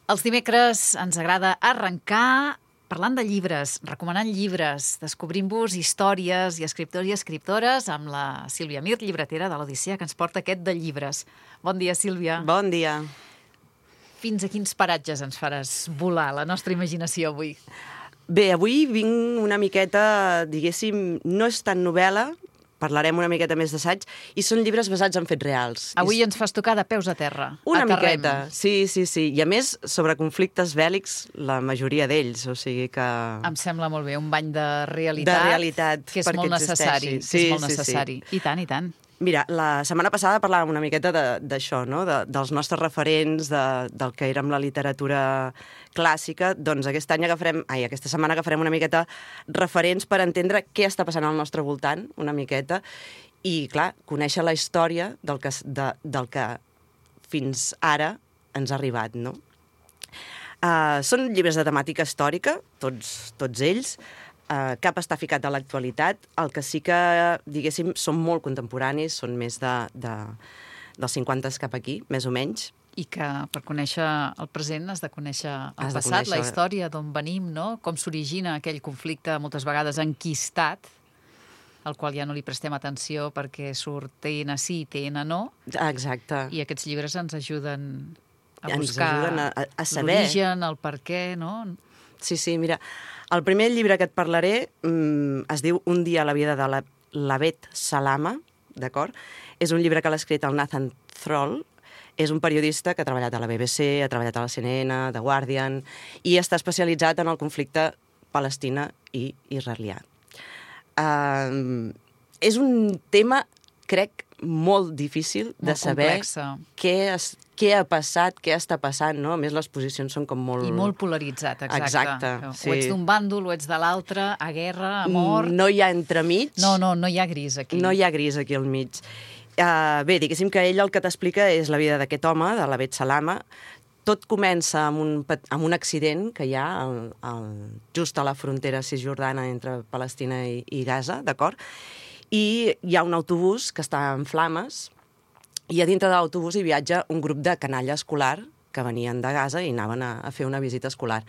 Els dimecres ens agrada arrencar parlant de llibres, recomanant llibres, descobrint-vos històries i escriptors i escriptores amb la Sílvia Mir, llibretera de l'Odissea, que ens porta aquest de llibres. Bon dia, Sílvia. Bon dia. Fins a quins paratges ens faràs volar la nostra imaginació avui? Bé, avui vinc una miqueta, diguéssim, no és tan novel·la, parlarem una miqueta més d'assaig, i són llibres basats en fets reals. Avui ens fas tocar de peus a terra. Una miqueta, sí. I a més, sobre conflictes bèl·lics, la majoria d'ells, o sigui que... Em sembla molt bé, un bany de realitat. De realitat, que és molt necessari. Sí, és molt necessari. Sí. I tant, i tant. Mira, la setmana passada parlàvem una miqueta d'això, no? Dels nostres referents, del que érem la literatura clàssica. Doncs aquesta setmana agafarem una miqueta referents per entendre què està passant al nostre voltant, una miqueta, i, clar, conèixer la història del que fins ara ens ha arribat, no? Són llibres de temàtica històrica, tots ells. Cap està ficat a l'actualitat. El que sí que, diguéssim, són molt contemporanis, són més dels 50 cap aquí, més o menys. I que per conèixer el present has de conèixer el passat, la història, d'on venim, no? Com s'origina aquell conflicte, moltes vegades enquistat, al qual ja no li prestem atenció perquè surt TN sí, TN no. Exacte. I aquests llibres ens ajuden a ens buscar ajuden a saber l'origen, el per què, no? Sí, mira, el primer llibre que et parlaré es diu Un dia a la vida de l'Abed Salama, d'acord? És un llibre que l'ha escrit el Nathan Thrall, és un periodista que ha treballat a la BBC, ha treballat a la CNN, The Guardian, i està especialitzat en el conflicte Palestina i israelià. És un tema, crec, molt difícil de saber què ha passat, què està passant, no? A més, les posicions són com molt... I molt polaritzat, exacte. Sí. O ets d'un bàndol, o ets de l'altre, a guerra, a mort... No hi ha entremig. No hi ha gris aquí. No hi ha gris aquí al mig. Bé, diguéssim que ell el que t'explica és la vida d'aquest home, de l'Abed Salama. Tot comença amb un accident que hi ha just a la frontera cisjordana entre Palestina i Gaza, d'acord? I hi ha un autobús que està en flames i a dintre de l'autobús hi viatja un grup de canalla escolar que venien de Gaza i anaven a fer una visita escolar.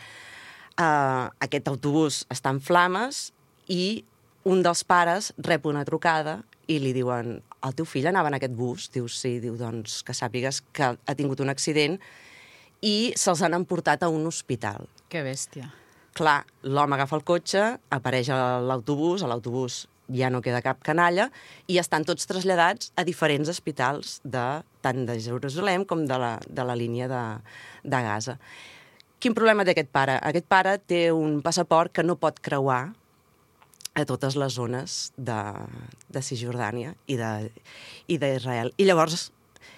Aquest autobús està en flames i un dels pares rep una trucada i li diuen: el teu fill anava en aquest bus? Diu, sí. Diu, doncs que sàpigues que ha tingut un accident i se'ls han emportat a un hospital. Que bèstia. Clar, l'home agafa el cotxe, apareix a l'autobús ja no queda cap canalla, i estan tots traslladats a diferents hospitals, tant de Jerusalem com de la línia de Gaza. Quin problema té aquest pare? Aquest pare té un passaport que no pot creuar a totes les zones de Cisjordània i d'Israel. I llavors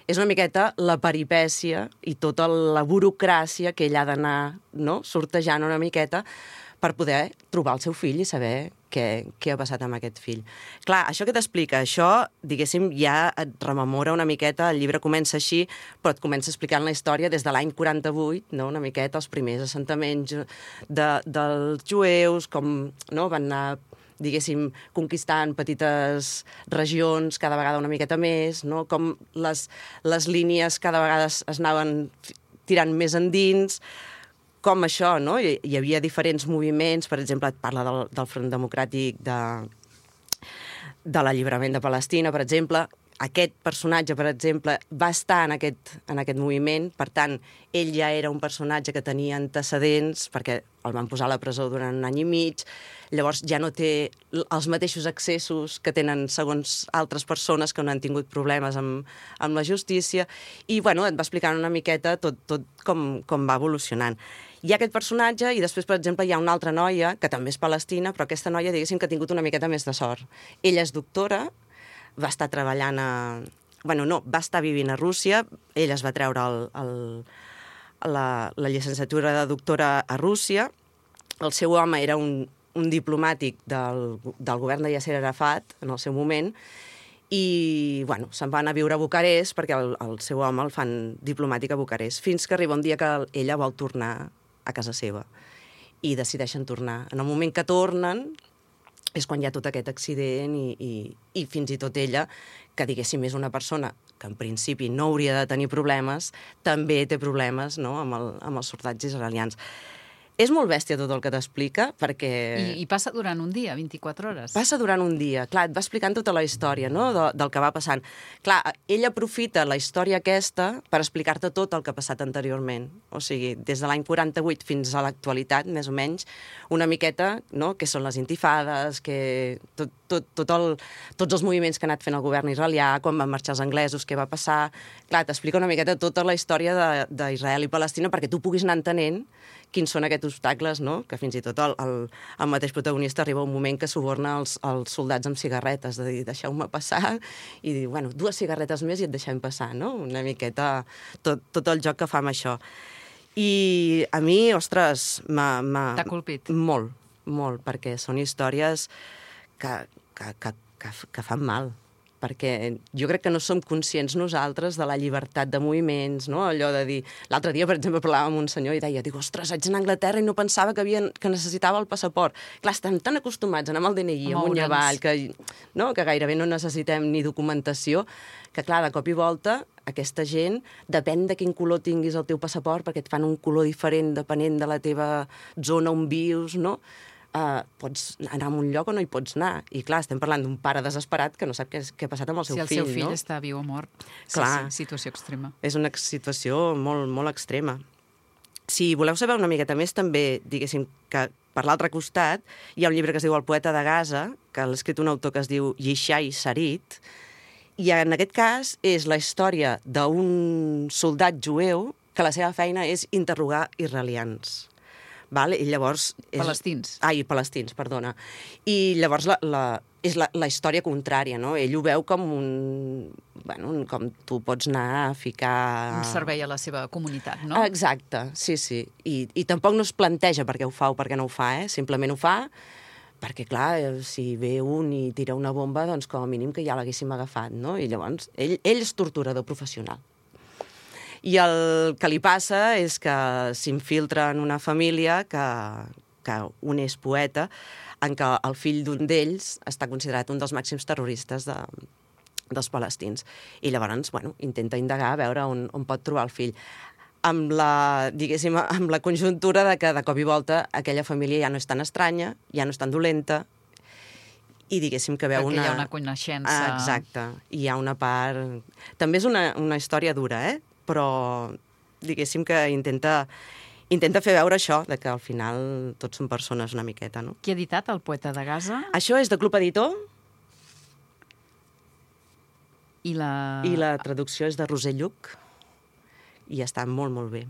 és una miqueta la peripècia i tota la burocràcia que ell ha d'anar, no?, sortejant una miqueta per poder trobar el seu fill i saber què ha passat amb aquest fill. Clar, això que t'explica, això, diguéssim, ja et rememora una miqueta, el llibre comença així, però et comença explicant la història des de l'any 48, no?, una miqueta, els primers assentaments dels jueus, com no, van anar, diguéssim, conquistant petites regions cada vegada una miqueta més, no?, com les línies cada vegada es anaven tirant més endins, com això, no? Hi havia diferents moviments, per exemple, et parla del Front Democràtic de l'Alliberament de Palestina, per exemple. Aquest personatge, per exemple, va estar en aquest moviment, per tant, ell ja era un personatge que tenia antecedents, perquè el van posar a la presó durant un any i mig, llavors ja no té els mateixos accessos que tenen segons altres persones que no han tingut problemes amb la justícia, i, bueno, et va explicant una miqueta tot com va evolucionant. Hi ha aquest personatge i després, per exemple, hi ha una altra noia, que també és palestina, però aquesta noia, diguéssim, que ha tingut una miqueta més de sort. Ella és doctora, va estar treballant va estar vivint a Rússia, ella es va treure la llicenciatura de doctora a Rússia, el seu home era un diplomàtic del govern de Yasser Arafat en el seu moment, i, bueno, se'n van a viure a Bucarest perquè el seu home el fan diplomàtic a Bucarest, fins que arriba un dia que ella vol tornar a casa seva i decideixen tornar. En el moment que tornen és quan hi ha tot aquest accident i fins i tot ella, que diguéssim és una persona en principi no hauria de tenir problemes, també té problemes, no?, amb els soldats israelians. És molt bèstia tot el que t'explica, perquè... I passa durant un dia, 24 hores. Passa durant un dia. Clar, et va explicant tota la història, no?, del que va passant. Clar, ell aprofita la història aquesta per explicar-te tot el que ha passat anteriorment. O sigui, des de l'any 48 fins a l'actualitat, més o menys, una miqueta, no?, què són les intifades, que tots els moviments que ha anat fent el govern israelià, quan van marxar els anglesos, què va passar... Clar, t'explica una miqueta tota la història d'Israel i Palestina perquè tu puguis anar entenent quins són aquests obstacles, no?, que fins i tot el mateix protagonista arriba un moment que suborna els soldats amb cigarretes, de dir, deixeu-me passar, i dir, bueno, 2 cigarretes més i et deixem passar, no? Una miqueta tot el joc que fa amb això. I a mi, ostres, t'ha colpit? Molt, molt, perquè són històries que fan mal, perquè jo crec que no som conscients nosaltres de la llibertat de moviments, no? Allò de dir... L'altre dia, per exemple, parlàvem amb un senyor i deia, ostres, vaig anar a Anglaterra i no pensava que necessitava el passaport. Clar, estem tan acostumats a anar amb el DNI, amunt i avall, que gairebé no necessitem ni documentació, que clar, de cop i volta, aquesta gent, depèn de quin color tinguis el teu passaport, perquè et fan un color diferent depenent de la teva zona on vius, no?, pots anar a un lloc o no hi pots anar. I clar, estem parlant d'un pare desesperat que no sap què ha passat amb el seu fill, no? Si el seu fill està viu o mort. Clar, sí, situació extrema. És una situació molt, molt extrema. Si voleu saber una miqueta més, també, diguéssim, que per l'altre costat hi ha un llibre que es diu El poeta de Gaza, que l'ha escrit un autor que es diu Yishai Sarit, i en aquest cas és la història d'un soldat jueu que la seva feina és interrogar israelians. Val? I llavors... Palestins. Palestins, perdona. I llavors és la història contrària, no? Ell ho veu com com tu pots anar a ficar... Un servei a la seva comunitat, no? Exacte, sí. I tampoc no es planteja per què ho fa o per què no ho fa, Simplement ho fa perquè, clar, si ve un i tira una bomba, doncs com a mínim que ja l'haguéssim agafat, no? I llavors, ell és torturador professional. I el que li passa és que s'infiltra en una família que un és poeta, en què el fill d'un d'ells està considerat un dels màxims terroristes dels palestins. I llavors, intenta indagar a veure on pot trobar el fill. Amb la conjuntura de que de cop i volta aquella família ja no és tan estranya, ja no és tan dolenta, i diguéssim que veu perquè hi ha una coneixença... Exacte. I hi ha una part... També és una història dura, però diguéssim que intenta fer veure això, de que al final tots són persones una miqueta, no? Qui ha editat El poeta de Gaza? Això és de Club Editor. I la traducció és de Roser Lluc. I està molt, molt bé.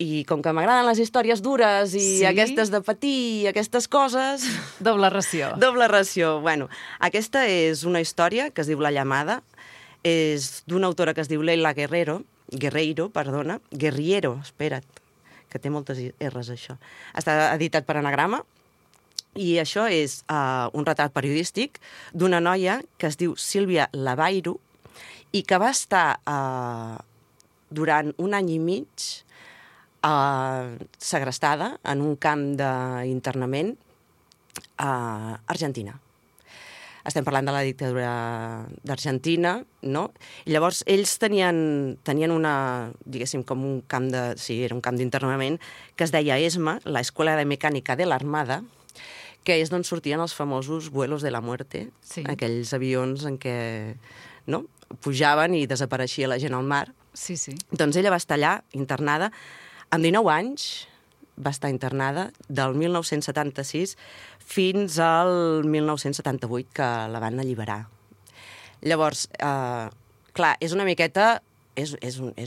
I com que m'agraden les històries dures i aquestes de patir i aquestes coses... Doble ració. Doble ració. Bueno, aquesta és una història que es diu La llamada. És d'una autora que es diu Leila Guerriero, espera't, que té moltes R's, això. Està editat per Anagrama, i això és un retrat periodístic d'una noia que es diu Sílvia Lavairo i que va estar durant 1 any i mig segrestada en un camp d'internament a Argentina. Estem parlant de la dictadura d'Argentina, no? I llavors ells tenien diguéssim, com un camp era un camp d'internament, que es deia ESMA, la Escuela de Mecánica de la Armada, que és d'on sortien els famosos vuelos de la muerte, aquells avions en què pujaven i desapareixia la gent al mar. Sí. Doncs ella va estar allà, internada, amb 19 anys, va estar internada del 1976 fins al 1978, que la van alliberar. Llavors, clar, és una miqueta... És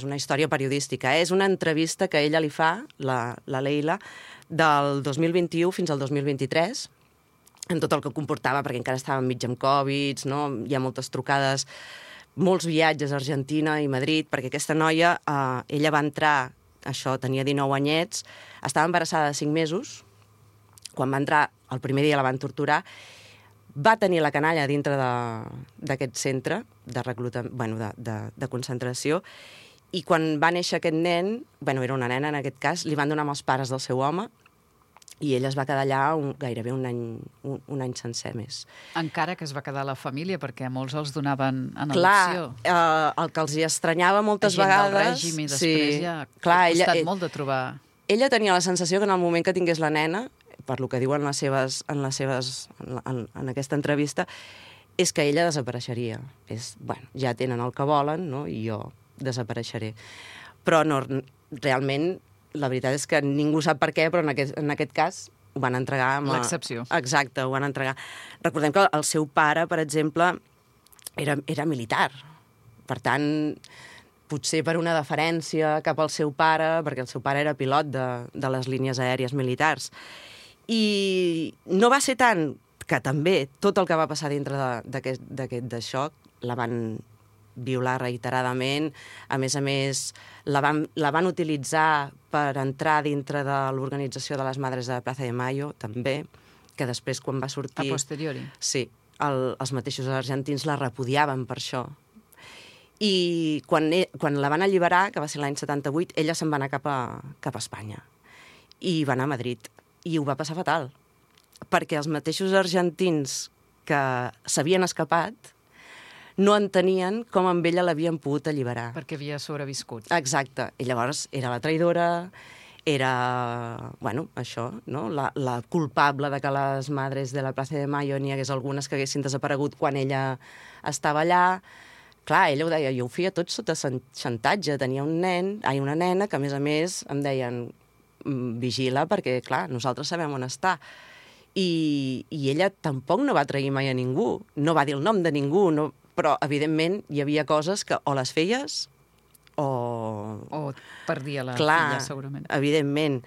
una història periodística, és una entrevista que ella li fa, la Leila, del 2021 fins al 2023, en tot el que comportava, perquè encara estava enmig amb Covid, no? Hi ha moltes trucades, molts viatges a Argentina i Madrid, perquè aquesta noia, ella va entrar, això, tenia 19 anyets, estava embarassada de 5 mesos, quan va entrar, el primer dia la van torturar, va tenir la canalla dintre d'aquest centre de concentració, i quan va néixer aquest nen, era una nena en aquest cas, li van donar amb els pares del seu home, i ella es va quedar allà gairebé un any sencer més. Encara que es va quedar a la família, perquè a molts els donaven en adopció. Clar, el que els hi estranyava moltes vegades... Del règim i després ja ha costat molt de trobar... Ella tenia la sensació que en el moment que tingués la nena, per lo que diuen en aquesta entrevista, és que ella desapareixeria. Ja tenen el que volen, no? I jo desapareixeré. Però no, realment, la veritat és que ningú sap per què, però en aquest cas ho van entregar... L'excepció. Exacte, ho van entregar. Recordem que el seu pare, per exemple, era militar. Per tant, potser per una deferència cap al seu pare, perquè el seu pare era pilot de les línies aèries militars. I no va ser tant que també tot el que va passar dintre d'aquest xoc la van violar reiteradament. A més, la van utilitzar per entrar dintre de l'organització de les Madres de Plaza de Mayo, també, que després, quan va sortir... A posteriori. Sí, els mateixos argentins la repudiaven per això. I quan la van alliberar, que va ser l'any 78, ella se'n va anar cap a Espanya. I va anar a Madrid. I ho va passar fatal. Perquè els mateixos argentins que s'havien escapat no entenien com amb ella l'havien pogut alliberar. Perquè havia sobreviscut. Exacte. I llavors era la traïdora, era, això, no? La culpable de que les Madres de la Plaza de Mayo n'hi hagués algunes que haguessin desaparegut quan ella estava allà. Clar, ella ho deia, jo ho feia tot sota xantatge. Tenia una nena que, a més, em deien vigila perquè, clar, nosaltres sabem on està. I ella tampoc no va trair mai a ningú, no va dir el nom de ningú, però, evidentment, hi havia coses que o les feies o perdia la filla, segurament. Evidentment.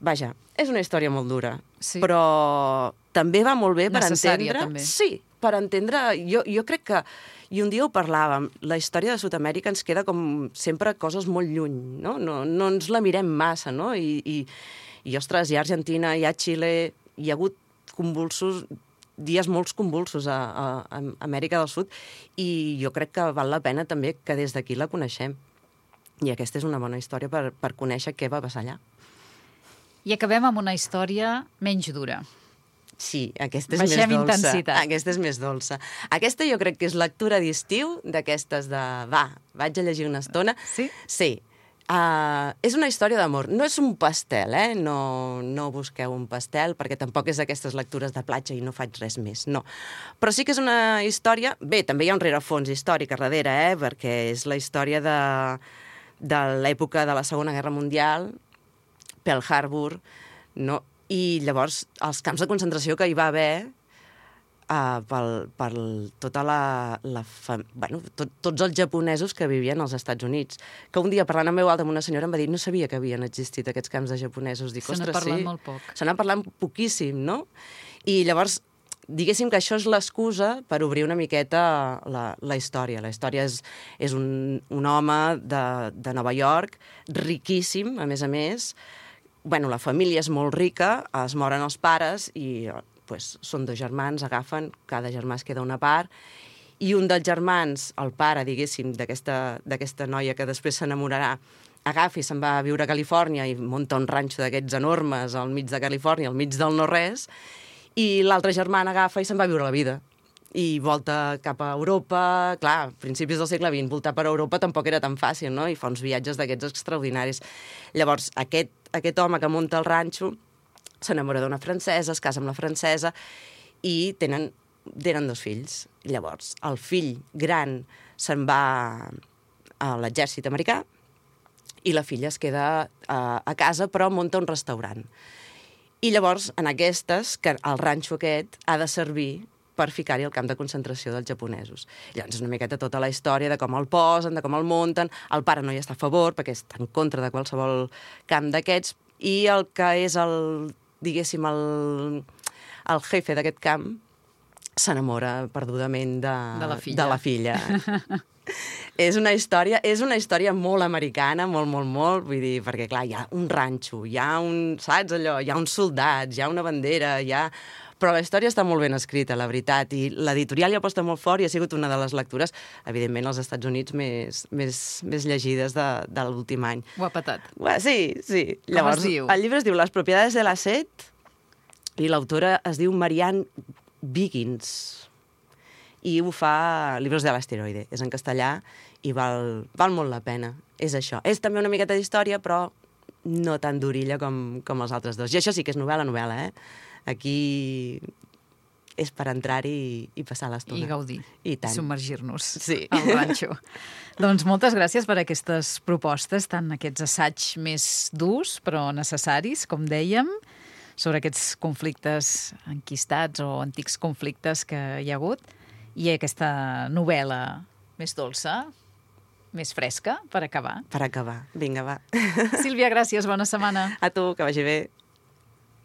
Vaja, és una història molt dura, sí. Però també va molt bé per necessària, entendre... també. Sí, per entendre... Jo crec que... I un dia ho parlàvem, la història de Sud-amèrica ens queda com sempre coses molt lluny, no? No ens la mirem massa, no? I ostres, hi ha Argentina, hi ha Xile, hi ha hagut dies molt convulsos a Amèrica del Sud, i jo crec que val la pena també que des d'aquí la coneixem. I aquesta és una bona història per conèixer què va passar allà. I acabem amb una història menys dura. Sí, aquesta és més dolça. Intensitat. Aquesta és més dolça. Aquesta jo crec que és lectura d'estiu, d'aquestes de... vaig a llegir una estona. Sí? Sí. És una història d'amor. No és un pastel, No busqueu un pastel, perquè tampoc és d'aquestes lectures de platja i no faig res més, no. Però sí que és una història... Bé, també hi ha un rerefons històric a darrere, perquè és la història de l'època de la Segona Guerra Mundial, Pearl Harbor, no? I llavors els camps de concentració que hi va haver per tota tots els japonesos que vivien als Estats Units. Que un dia, parlant amb veu alta amb una senyora, em va dir no sabia que havien existit aquests camps de japonesos. Dic, se n'ha parlat molt poc. Se n'ha parlat poquíssim, no? I llavors, diguéssim que això és l'excusa per obrir una miqueta la història. La història és un home de Nova York, riquíssim, a més. La família és molt rica, es moren els pares i són dos germans, agafen, cada germà es queda una part, i un dels germans, el pare, diguéssim, d'aquesta noia que després s'enamorarà, agafa i se'n va a viure a Califòrnia i munta un ranxo d'aquests enormes al mig de Califòrnia, al mig del no-res, i l'altre germà agafa i se'n va a viure la vida. I volta cap a Europa. Clar, a principis del segle XX, voltar per Europa tampoc era tan fàcil, no? I fa uns viatges d'aquests extraordinaris. Llavors, aquest home que munta el ranxo s'enamora d'una francesa, es casa amb la francesa i tenen 2 fills. Llavors, el fill gran se'n va a l'exèrcit americà i la filla es queda a casa, però munta un restaurant. I llavors, en aquestes, que el ranxo aquest ha de servir per ficar-hi el camp de concentració dels japonesos. Llavors és una miqueta tota la història de com el posen, de com el munten. El pare no hi està a favor, perquè està en contra de qualsevol camp d'aquests, i el que és diguéssim, el jefe d'aquest camp s'enamora perdudament de la filla. És una història molt americana, molt, vull dir, perquè, clar, hi ha un ranxo, hi ha saps allò? Hi ha uns soldats, hi ha una bandera, Però la història està molt ben escrita, la veritat, i l'editorial hi aposta molt fort i ha sigut una de les lectures, evidentment, als Estats Units més llegides de l'últim any. Ho ha patat. Sí. Llavors, com es diu? El llibre es diu Las propiedades de la sed, I l'autora es diu Marianne Wiggins i ho fa a Libros de l'Asteroide. És en castellà i val molt la pena. És això. És també una miqueta d'història, però no tan durilla com els altres dos. I això sí que és novel·la, Aquí és per entrar-hi i passar l'estona. I gaudir. I tant. Submergir-nos al ranxo. Doncs moltes gràcies per aquestes propostes, tant aquests assaigs més durs, però necessaris, com dèiem, sobre aquests conflictes enquistats o antics conflictes que hi ha hagut, i aquesta novel·la més dolça, més fresca, per acabar. Per acabar. Vinga, va. Sílvia, gràcies. Bona setmana. A tu, que vagi bé.